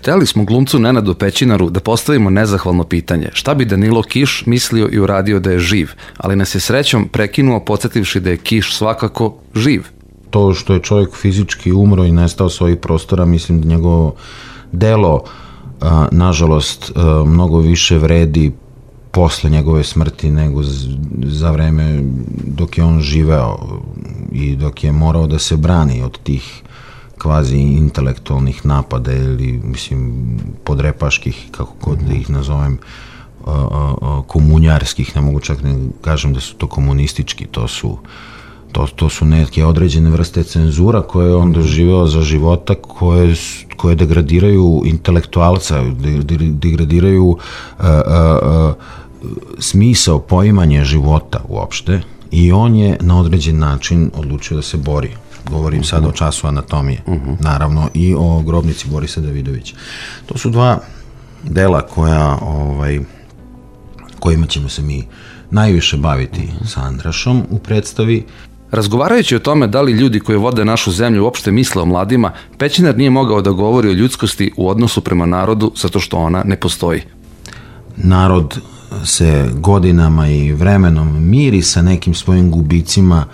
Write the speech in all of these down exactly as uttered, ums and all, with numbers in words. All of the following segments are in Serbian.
Hteli smo glumcu Nenadu Pećinaru da postavimo nezahvalno pitanje šta bi Danilo Kiš mislio i uradio da je živ, ali nas je srećom prekinuo podsjetivši da je Kiš svakako živ. To što je čovjek fizički umro i nestao s ovih prostora, mislim da njegovo delo, a, nažalost, a, mnogo više vredi posle njegove smrti nego za vreme dok je on živeo i dok je morao da se brani od tih kvazi intelektualnih napada ili, mislim, podrepaških, kako god da ih nazovem, komunjarskih, ne mogu čak ne kažem da su to komunistički, to su To, to su neke određene vrste cenzura koje je on doživeo za života, koje, koje degradiraju intelektualca, degradiraju uh, uh, uh, smisao, poimanje života uopšte, i on je na određen način odlučio da se bori. Govorim uh-huh. sad o času anatomije, uh-huh. naravno, i o grobnici Borisa Davidovića. To su dva dela koja, ovaj, kojima ćemo se mi najviše baviti uh-huh. sa Andrašom u predstavi. Razgovarajući o tome da li ljudi koji vode našu zemlju uopšte misle o mladima, Pećinar nije mogao da govori o ljudskosti u odnosu prema narodu zato što ona ne postoji. Narod se godinama i vremenom miri sa nekim svojim gubicima,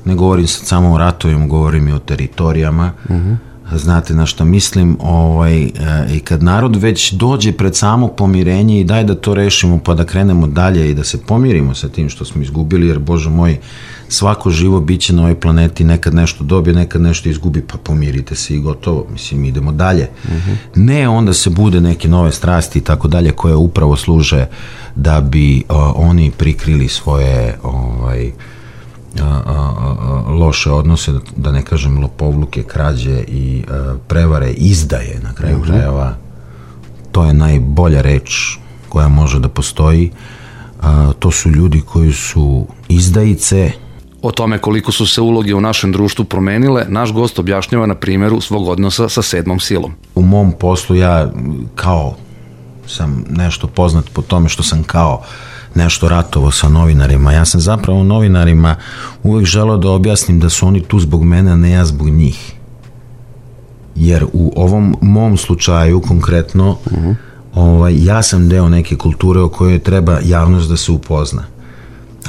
ne govorim sad samo o ratovima, govorim i o teritorijama, uh-huh. znate na što mislim, ovaj, e, i kad narod već dođe pred samo pomirenje i daj da to rešimo pa da krenemo dalje i da se pomirimo sa tim što smo izgubili, jer Bože moj, svako živo biće na ovoj planeti nekad nešto dobije, nekad nešto izgubi, pa pomirite se i gotovo, mislim, idemo dalje. Uh-huh. Ne onda se bude neke nove strasti i tako dalje koje upravo služe da bi o, oni prikrili svoje ovaj, a, a, a, loše odnose, da ne kažem lopovluke, krađe i a, prevare, izdaje na kraju uh-huh. krajeva. To je najbolja reč koja može da postoji. A, to su ljudi koji su izdajice. O tome koliko su se uloge u našem društvu promenile, naš gost objašnjava na primjeru svog odnosa sa sedmom silom. U mom poslu ja kao sam nešto poznat po tome što sam kao nešto ratovao sa novinarima. Ja sam zapravo novinarima uvek želeo da objasnim da su oni tu zbog mene, a ne ja zbog njih. Jer u ovom mom slučaju konkretno uh-huh. ovaj, ja sam deo neke kulture o kojoj treba javnost da se upozna.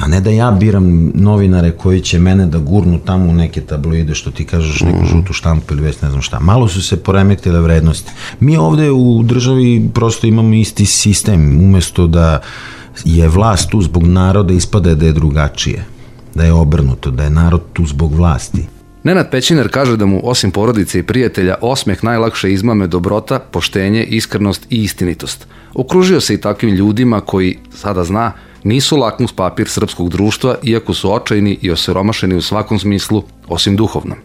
A ne da ja biram novinare koji će mene da gurnu tamo u neke tabloide, što ti kažeš, neku žutu štampu ili već ne znam šta. Malo su se poremetile vrednosti. Mi ovde u državi prosto imamo isti sistem. Umesto da je vlast tu zbog naroda, ispada da je drugačije. Da je obrnuto, da je narod tu zbog vlasti. Nenad Pećinar kaže da mu, osim porodice i prijatelja, osmeh najlakše izmame dobrota, poštenje, iskrenost i istinitost. Okružio se i takvim ljudima koji, sada zna, nisu lakmus papir srpskog društva, iako su očajni i osiromašeni u svakom smislu, osim duhovnom.